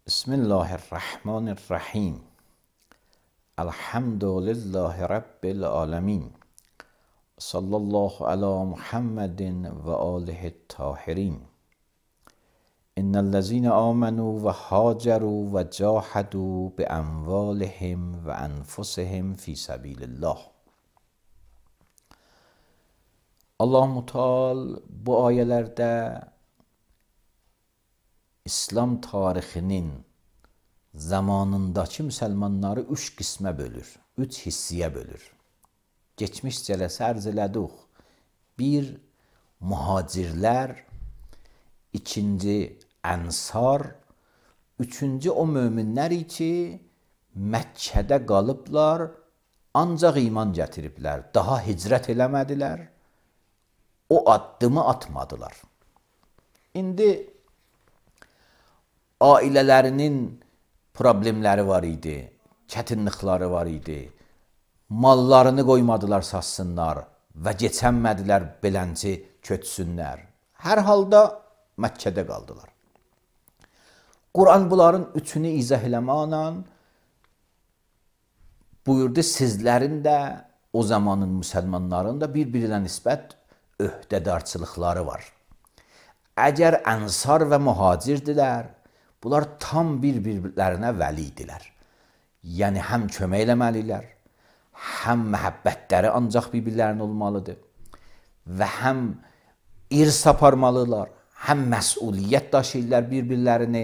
Bismillahirrahmanirrahim. Elhamdülillahi Rabbil alemin. Sallallahu ala Muhammedin ve alihi tahirin. İnnellezine amenu ve haceru ve cahadu bi amvalihim ve enfusihim fi sabilillah. Allah-u Teala bu ayelerde İslam tarixinin zamanındakı müsəlmanları üç qismə bölür, üç hissiyə bölür. Geçmiş cələsə ərz elədik. Bir, muhacirlər, ikinci, ənsar, üçüncü, o möminlər ki, Məkkədə qalıblar, ancaq iman gətiriblər, daha hicrət eləmədilər, o addımı atmadılar. İndi ailələrinin problemləri var idi, çətinlikləri var idi, mallarını qoymadılar satsınlar və keçənmədilər belənci köçsünlər. Hər halda Məkkədə qaldılar. Quran bunların üçünü izah eləməklə buyurdu, sizlərin də o zamanın müsəlmanların da bir-birinə nisbət öhdədarçılıqları var. Əgər ənsar və mühacirdirlər, bunlar tam bir-birlərinə vəlidilər. Yəni, həm kömək eləməlilər, həm məhəbbətləri ancaq bir-birlərinə olmalıdır və həm irs aparmalılar, həm məsuliyyət daşıyırlar bir-birlərini,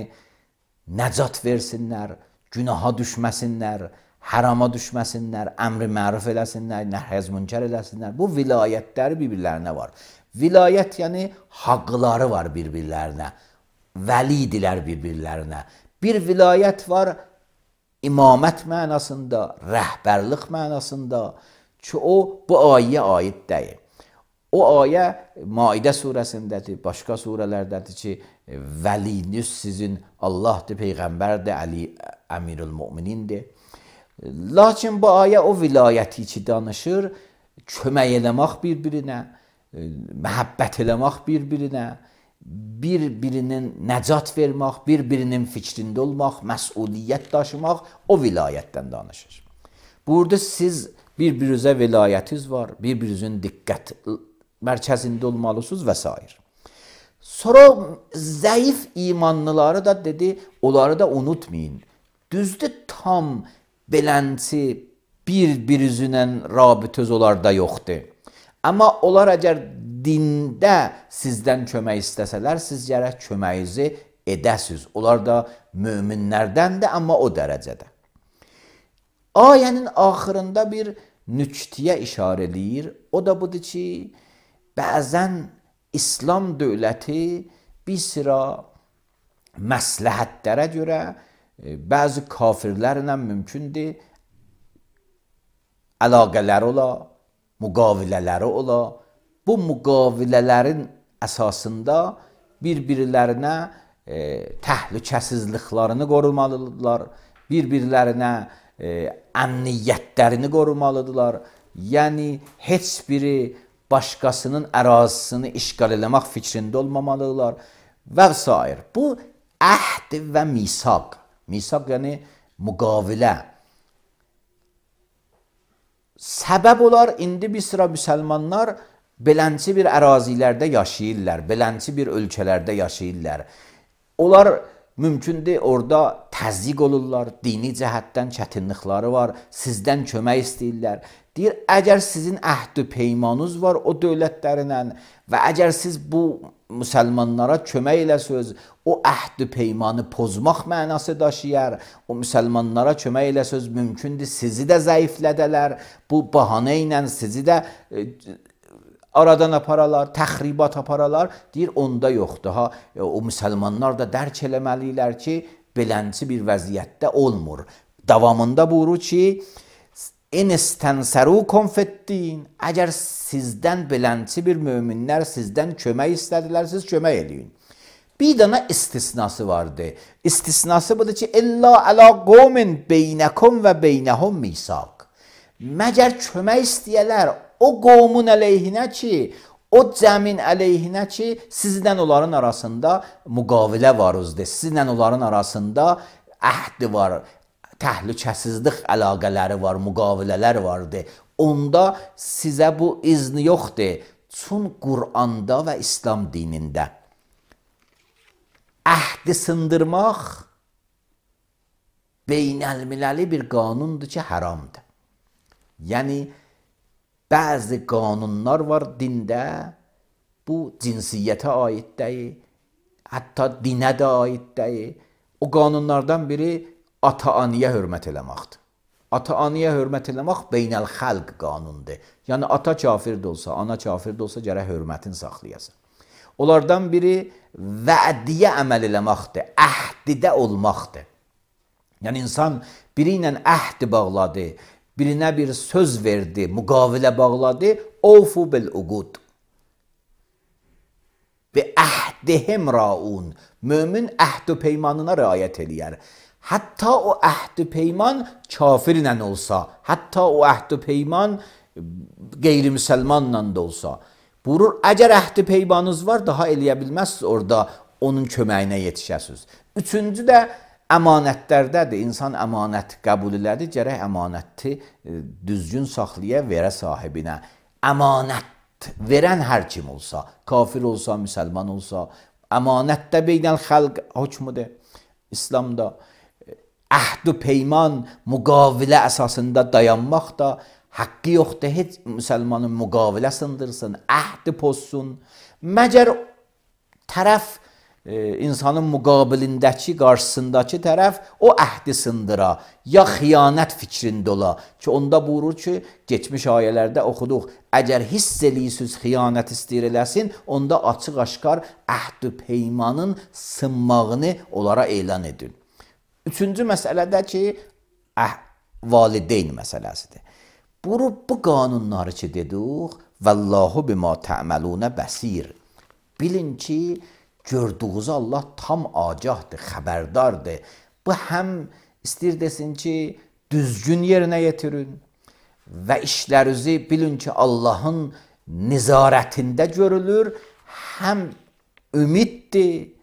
nəcat versinlər, günaha düşməsinlər, hərama düşməsinlər, əmri məruf eləsinlər, nəhy münkər eləsinlər. Bu vilayətləri bir-birlərinə var. Vilayət yəni haqları var bir-birlərinə. Vəlidilər bir-birlərinə. Bir vilayət var imamət mənasında, rəhbərlik mənasında ki, o bu ayəyə aid deyil. O ayə Maidə surəsindədir, başqa surələrdədir ki, vəliniz sizin Allahdır, Peyğəmbərdir, Əli Əmirül-Müminindir. Lakin bu ayə o vilayəti ki danışır, kömək eləmək bir-birinə, məhəbbət eləmək bir-birinə, bir-birinin nəcat vermək, bir-birinin fikrində olmaq, məsuliyyət daşımaq o vilayətdən danışır. Burada siz bir-birinizə vilayətiniz var, bir-birinizin diqqət mərkəzində olmalısınız və s. Sonra zəif imanlıları da dedi, onları da unutmayın. Düzdür, tam belənci bir-birinizlə rabitəz onlarda yoxdur. Amma onlar əgər dində sizdən kömək istəsələr, siz gərək köməyinizi edəsiniz. Onlar da möminlərdəndir, amma o dərəcədə. Ayənin axırında bir nüktəyə işarə eləyir. O da budur ki, bəzən İslam dövləti bir sıra məsləhətlərə görə bəzi kafirlərlə mümkündür əlaqələri ola, müqavilələri ola. Bu müqavilələrin əsasında bir-birlərinə təhlükəsizliklərini qorumalıdırlar, bir-birlərinə əmniyyətlərini qorumalıdırlar. Yəni, heç biri başqasının ərazisini işgal eləmək fikrində olmamalıdırlar və s. Bu, əhd və misaq. Misaq yəni müqavilə. Səbəb olar, indi bir sıra müsəlmanlar belənci bir ərazilərdə yaşayırlar, belənci bir ölkələrdə yaşayırlar. Onlar mümkündür, orada təzyiq olurlar, dini cəhətdən çətinlikləri var, sizdən kömək istəyirlər. Deyir, əgər sizin əhd-i peymanınız var o dövlətlərinlə və əgər siz bu müsəlmanlara kömək eləsiniz, o əhd-i peymanı pozmaq mənası daşıyar, o müsəlmanlara kömək eləsiniz, mümkündür sizi də zəiflədələr, bu bahanə ilə sizi də aradan aparalar, təxribat aparalar. Deyir, onda yoxdur. O müsəlmanlar da dərk eləməliyirlər ki, belənci bir vəziyyətdə olmur. Davamında buyurur ki, İn istənsərukum fiddin. Əgər sizdən belənci bir möminlər sizdən kömək istədilər, siz kömək eləyin. Bir dənə istisnası vardı. İstisnası budur ki, İlla əla qovmin beynəkum və beynəhum misaq. Məgər kömək istəyələr o qovmun əleyhinə ki, O cəmin əleyhinə ki, sizlə onların arasında müqavilə var özdə. Sizlə onların arasında əhd var, təhlükəsizlik əlaqələri var, müqavilələr vardır. Onda sizə bu izni yoxdur. Çün Quranda və İslam dinində əhdi sındırmaq beynəlmiləli bir qanundur ki, haramdır. Yəni, bəzi qanunlar var dində, bu cinsiyyətə aid deyil, hətta dinə də aid deyil. O qanunlardan biri ata-anıya hörmət eləməkdir. Ata-anıya hörmət eləmək beynəl-xalq qanundur. Yəni, ata kafir də olsa, ana kafir də olsa, gərək hörmətini saxlayasın. Onlardan biri vədiyə əməl eləməkdir, əhdidə olmaqdır. Yəni, insan biri ilə əhdi bağladı, birinə bir söz verdi, müqavilə bağladı, ofu bil-uqud. Və əhdihim raun, mömin əhd-ü peymanına riayət eləyər. Hətta o əhd-ü peyman kafirlə olsa, hətta o əhd-ü peyman qeyri-müsəlmanla da olsa. Buyurur, əgər əhd-i peymanınız var, daha eləyə bilməzsiniz orada onun köməyinə yetişəsiniz. Üçüncü də əmanətlərdədir. İnsan əmanət qəbul elədi, gərək əmanəti düzgün saxlaya verə sahibinə. Əmanət verən hər kim olsa, kafir olsa, müsəlman olsa, əmanətdə beynəl-xalq hökmüdür. İslamda əhd-ü peyman müqavilə əsasında dayanmaq da haqqı yoxdur, heç müsəlmanın müqavilə sındırsın, əhdi pozsun. Məgər tərəf, insanın müqabilindəki, qarşısındakı tərəf o əhdi sındıra, ya xiyanət fikrində ola ki, onda buyurur ki, geçmiş ayələrdə oxuduq, əgər hiss eləyirsiniz, xiyanət istəyir eləsin, onda açıq-aşkar əhd-ü peymanın sınmağını onlara elan edin. Üçüncü məsələdə ki, valideyn məsələsidir. Bu qanunları ki dedik, Vallahu bima tə'məlunə bəsir. Bilin ki, gördüğünüz Allah tam agahdır, xəbərdardır. Bu həm istəyir desin ki, düzgün yerinə yetirin və işlərinizi bilin ki, Allahın nizarətində görülür, həm ümiddir,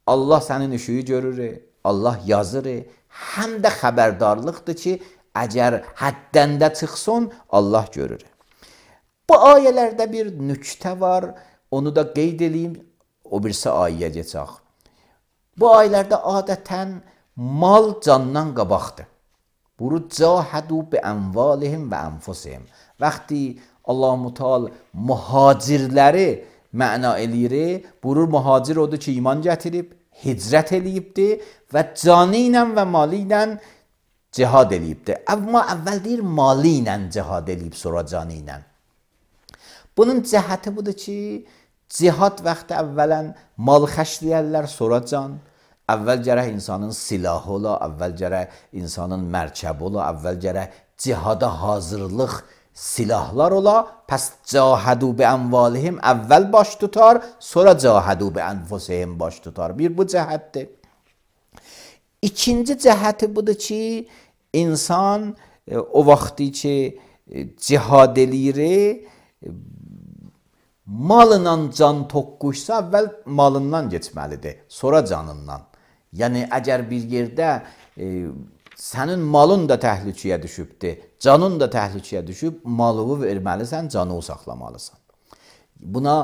Allah sənin işini görür, Allah yazır, həm də xəbərdarlıqdır ki, əgər həddəndə çıxsın, Allah görür. Bu ayələrdə bir nüktə var, onu da qeyd edeyim, o birisi ayəyə geçək. Bu ayələrdə adətən mal candan qabaqdır. Buyurur, cahədu bi ənvalihim və ənfusihim. Vaxtı Allah-u Teala mühacirləri məna eləyir, buyurur, mühacir odur ki, iman gətirib, hicrət eləyibdir və canı ilə və malı ilə cihad eləyibdir. Amma əvvəl deyir, mali ilə cihad eləyib, sonra canı ilə. Bunun cəhəti budur ki, cihad vaxtı əvvələn mal xərcləyərlər, sonra can. Əvvəl gərək insanın silahı ola, əvvəl gərək insanın mərkəbi ola, əvvəl gərək cihada hazırlıq silahlar ola. Pəs cahədu bi ənvalihim əvvəl baş tutar, sonra cahədu bi ənfusihim baş tutar. Bir bu cəhətdir. İkinci cəhəti budur ki, insan o vaxtı ki cihad eləyir, malınla can toqquşsa, əvvəl malından geçməlidir, sonra canından. Yəni, əgər bir yerdə sənin malın da təhlükəyə düşübdir, canın da təhlükəyə düşüb, malını verməlisən, canını saxlamalısan. Buna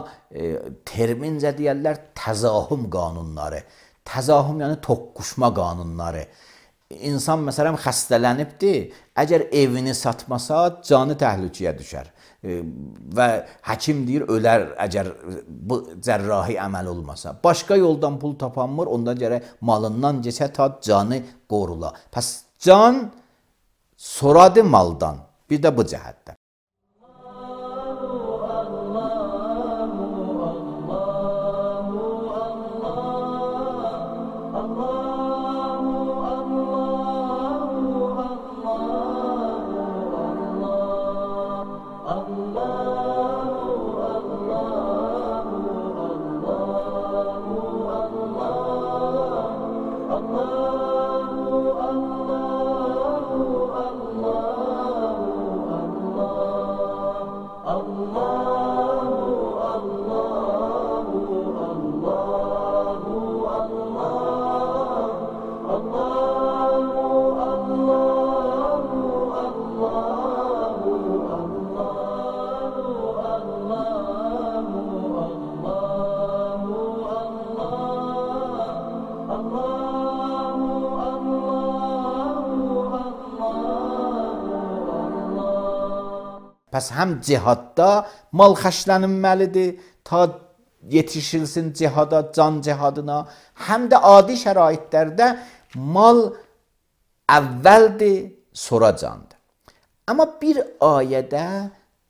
termincə deyərlər təzahüm qanunları. Təzahüm yəni toqquşma qanunları. İnsan məsələn xəstələnibdir, əgər evini satmasa canı təhlükəyə düşər. Və həkim deyir, ölər əgər bu cərrahi əməl olmasa. Başqa yoldan pul tapanmır, ondan gərək malından geçə ta canı qorula. Pəs can soradı maldan. Bir də bu cəhətdə. Allah Pəs həm cihadda mal xərclənilməlidir, ta yetişilsin cihada, can cihadına, həm də adi şəraitlərdə mal əvvəldir, sonra candır. Amma bir ayədə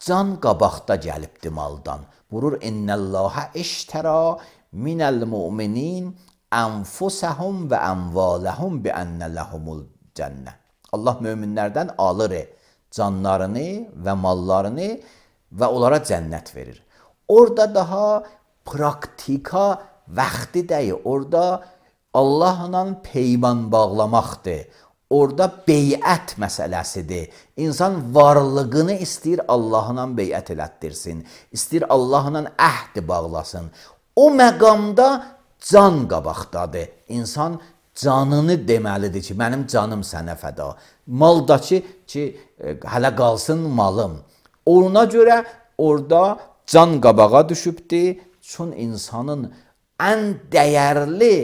can qabaqda gəlibdir maldan. Vurur innəllâhə iştərə minəl mu'minin ənfusəhum və ənvaləhum bi ənnə ləhumul cənnə. Allah möminlərdən alır canlarını və mallarını və onlara cənnət verir. Orada daha praktika vaxtı deyil. Orada Allahla peyman bağlamaqdır. Orada beyət məsələsidir. İnsan varlığını istəyir Allahla beyət elətdirsin. İstəyir Allahla əhd bağlasın. O məqamda can qabaqdadır. İnsan canını deməlidir ki, mənim canım sənə fəda. Maldakı ki, hələ qalsın malım. Ona görə orada can qabağa düşübdür. Çün insanın ən dəyərli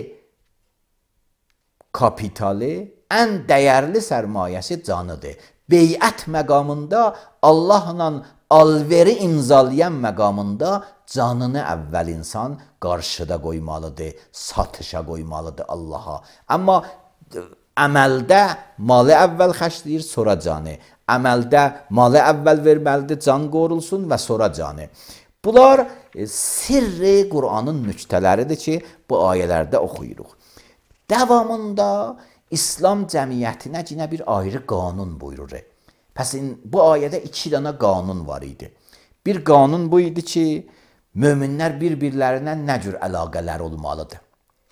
kapitali, ən dəyərli sərmayəsi canıdır. Beyət məqamında Allahla alveri imzalayan məqamında canını əvvəl insan qarşıda qoymalıdır, satışa qoymalıdır Allaha. Amma əməldə malı əvvəl xərcləyir, sonra canı. Əməldə malı əvvəl verməlidir, can qorulsun və sonra canı. Bunlar sirri Qur'anın nüktələridir ki, bu ayələrdə oxuyuruq. Davamında İslam cəmiyyətinə yine bir ayrı qanun buyurur. Pəs bu ayədə 2 dənə qanun var idi. Bir qanun bu idi ki, möminlər bir-birlərinə nə cür əlaqələr olmalıdır?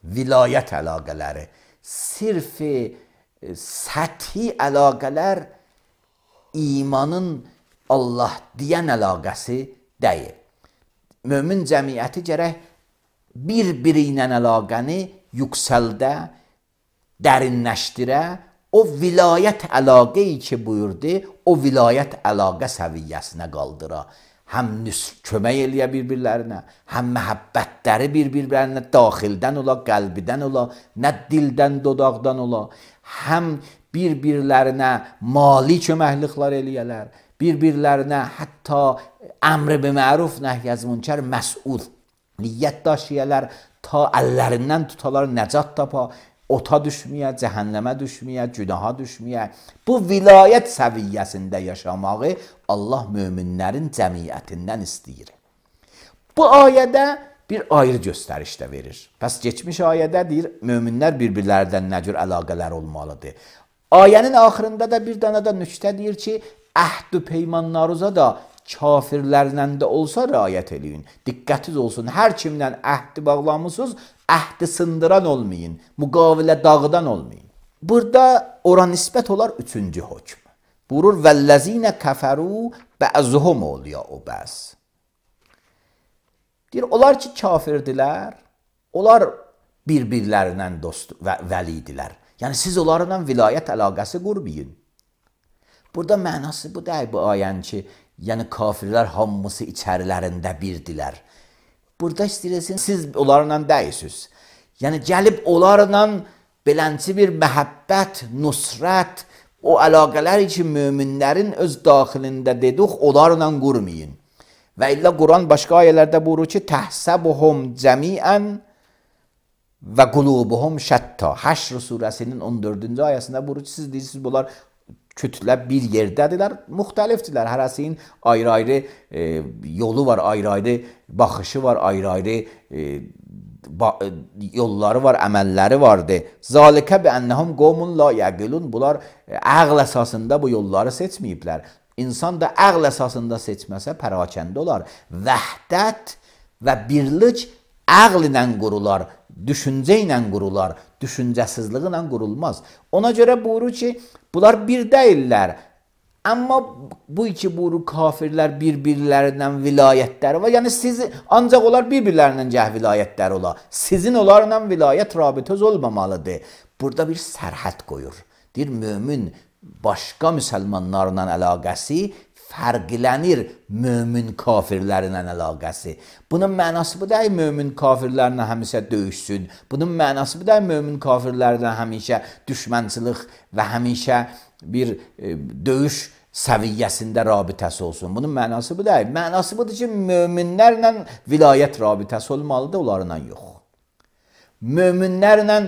Vilayət əlaqələri, sirfi, səthi əlaqələr imanın Allah deyən əlaqəsi deyil. Mömin cəmiyyəti gərək bir-biri ilə əlaqəni yüksəldə, dərinləşdirə, o vilayət əlaqəyi ki buyurdu, o vilayət əlaqə səviyyəsinə qaldıra. Həm kömək eləyə bir-birlərinə, həm məhəbbətləri bir-birlərinə daxildən ola, qəlbidən ola, nə dildən, dodaqdan ola, həm bir-birlərinə mali köməkliklər eləyələr, bir-birlərinə hətta əmr-i biməruf nəhy-əz münkər məsuliyyət daşıyələr, ta əllərindən tutalar, nəcat tapa, ota düşməyə, cəhənnəmə düşməyə, günaha düşməyə. Bu vilayət səviyyəsində yaşamağı Allah möminlərin cəmiyyətindən istəyir. Bu ayədə bir ayrı göstəriş də verir. Pəs keçmiş ayədə deyir, möminlər bir-birlərdən nə cür əlaqələr olmalıdır. Ayənin axırında da bir dənə də nüktə deyir ki, əhd-ü peymanlarınıza da kafirlərlə də olsa riayət eləyin. Diqqətiz olsun, hər kimlə əhdi bağlamısınız, əhdi sındıran olmayın, müqavilə dağıdan olmayın. Burada ora nisbət olar 3-cü hökm. Buyurur, vəlləzinə kəfəru bə'zuhum oliya'u bəs. Deyir, onlar ki kafirdirlər, onlar bir-birlərindən dost və vəlidilər. Yəni siz onlarla vilayət əlaqəsi qurmayın. Burada mənası bu deyil bu ayən ki, yəni kafirlər hamısı içərilərində birdilər. Burada istəyirsin, siz onlarla deyilsiniz. Yəni gəlib onlarla belənçi bir məhəbbət, nusrət, o əlaqələr ki möminlərin öz daxilində dedik, onlarla qurmayın. Və illə Quran başqa ayələrdə buyurur ki, təhsəbuhum cəmiən və qulubuhum şətta. Həşr surəsinin 14-cü ayəsində buyurur ki, siz deyirsiniz, bunlar kütlə bir yerdədirlər, müxtəlifdirlər. Hərəsinin ayrı-ayrı yolu var, ayrı-ayrı baxışı var, ayrı-ayrı yolları var, əməlləri vardır. Zalikə bi ennəhum qovmun la yəqilun. Bunlar əql əsasında bu yolları seçməyiblər. İnsan da əql əsasında seçməsə pərakəndə olar. Vəhdət və birlik əql ilə qurular, düşüncə ilə qurular, düşüncəsizliyi ilə qurulmaz. Ona görə buyurur ki, bunlar bir deyirlər. Amma bu iki buyurur kafirlər bir-birlərindən vilayətləri var. Yəni siz ancaq onlar bir-birlərindən vilayətləri ola. Sizin onlarla vilayət rabitəz olmamalıdır. Burada bir sərhəd qoyur. Deyir, mömin başqa müsəlmanlarla əlaqəsi fərqlənir mömin kafirlərlə əlaqəsi. Bunun mənası bu deyil, mömin kafirlərlə həmişə döyüşsün. Bunun mənası bu deyil, mömin kafirlərlə həmişə düşmənçilik və həmişə bir döyüş səviyyəsində rabitəsi olsun. Bunun mənası bu deyil. Mənası budur ki, möminlərlə vilayət rabitəsi olmalıdır, onlarla yox. Möminlərlə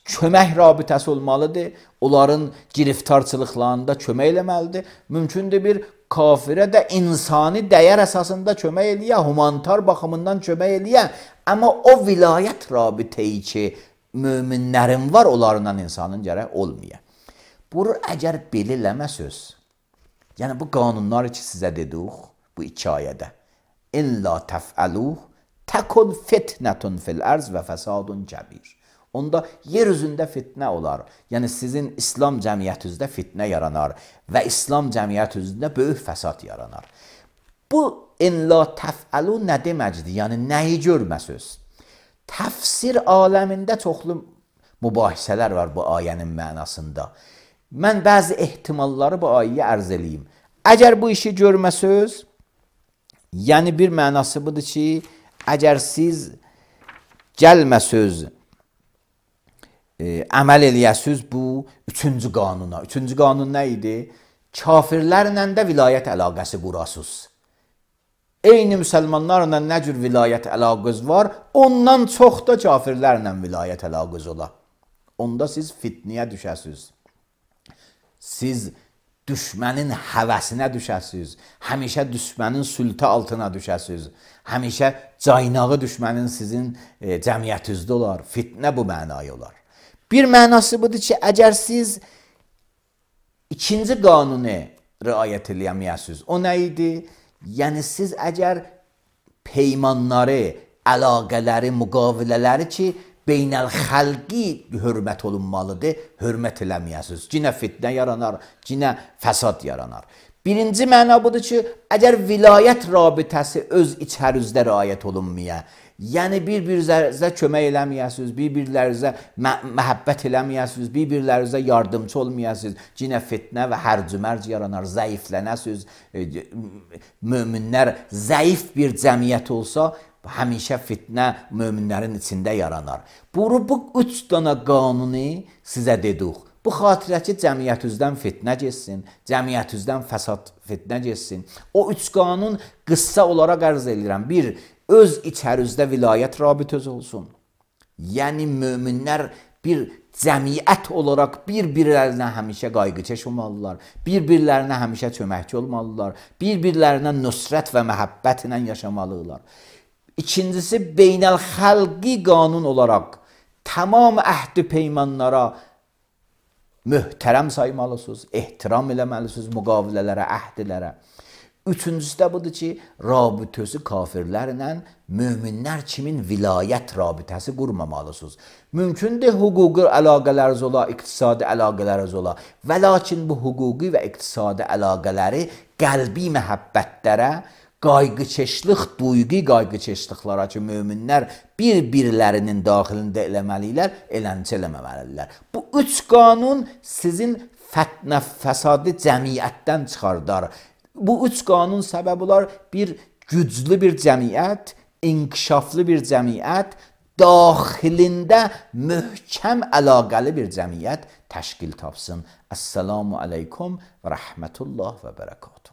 kömək rabitəsi olmalıdır, onların giriftarçılıqlarında kömək eləməlidir. Mümkündür bir kafirə də insani dəyər əsasında kömək eləyə, humanitar baxımından kömək eləyə, amma o vilayət rabitəyi ki, möminlərin var, onlarla insanın gərək olmaya. Bunu əgər belə eləməsəz, yəni bu qanunlar ki sizə dedik, bu iki ayədə, İlla təfəluh, təkun fitnətun fil ərz və fəsadun kəbir. Onda yer üzündə fitnə olar. Yəni sizin İslam cəmiyyətinizdə fitnə yaranar və İslam cəmiyyətinizdə böyük fəsad yaranar. Bu İlla təfəlu nə deməkdir? Yəni nəyi görməsəz? Təfsir aləmində çoxlu mübahisələr var bu ayənin mənasında. Mən bəzi ehtimalları bu ayəyə ərz eləyim. Əgər bu işi görməsəz, yəni bir mənası budur ki, əgər siz gəlməsəz, əməl eləyəsiz bu üçüncü qanuna. Üçüncü qanun nə idi? Kafirlərlə də vilayət əlaqəsi qurasız. Eyni müsəlmanlarla nə cür vilayət əlaqəz var, ondan çox da kafirlərlə vilayət əlaqəz ola. Onda siz fitniyə düşəsiz. Siz düşmənin həvəsinə düşəsiz. Həmişə düşmənin sültə altına düşəsiz. Həmişə caynağı düşmənin sizin cəmiyyətinizdə olar. Fitnə bu mənaya olar. Bir mənası budur ki, əgər siz ikinci qanunu riayət eləyəməyəsiz, o nə idi? Yəni siz əgər peymanları, əlaqələri, müqavilələri ki, beynəlxalqi hörmət olunmalıdır, hörmət eləməyəsiz. Cinə fitnə yaranar, cinə fəsad yaranar. Birinci məna budur ki, əgər vilayət rabitəsi öz içərinizdə riayət olunmaya, yəni bir-birinizə kömək eləməyəsiniz, bir-birlərinizə məhəbbət eləməyəsiniz, bir-birlərinizə yardımcı olmayəsiniz, cinə fitnə və hərc-mərc yaranar, zəiflənəsiniz. Möminlər zəif bir cəmiyyət olsa, həmişə fitnə möminlərin içində yaranar. Bu üç dana qanunu sizə dedik. Bu xatirə ki, cəmiyyətinizdən fitnə geçsin, cəmiyyətinizdən fəsad fitnə geçsin. O üç qanun qıssa olaraq ərz edirəm. Bir, öz içərinizdə vilayət rabitəsi olsun. Yəni, möminlər bir cəmiyyət olaraq bir-birlərinə həmişə qayğıkeş olmalılar, bir-birlərinə həmişə köməkçi olmalılar, bir-birlərinə nüsrət və məhəbbət ilə yaşamalılar. İkincisi, beynəlxalqi qanun olaraq tamam əhd-i peymanlara möhtərəm saymalısınız, ehtiram eləməlisiniz müqavilələrə, əhdilərə. Üçüncüsü də budur ki, rabitəsi kafirlərlə möminlər kimin vilayət rabitəsi qurmamalısınız. Mümkündür hüquqi əlaqələriniz ola, iqtisadi əlaqələriniz ola və lakin bu hüquqi və iqtisadi əlaqələri qəlbi məhəbbətlərə, qayğıkeşlik, duyğu qayğıkeşliklara ki, möminlər bir-birlərinin daxilində eləməlilər, eləncə eləməməlidirlər. Bu üç qanun sizin fitnə, fəsadı cəmiyyətdən çıxardar. Bu üç qanun səbəb olar bir güclü bir cəmiyyət, inkişaflı bir cəmiyyət, daxilində möhkəm əlaqəli bir cəmiyyət təşkil tapsın. Əssalamu aleykum və rəhmətullah və bərəkatuhu.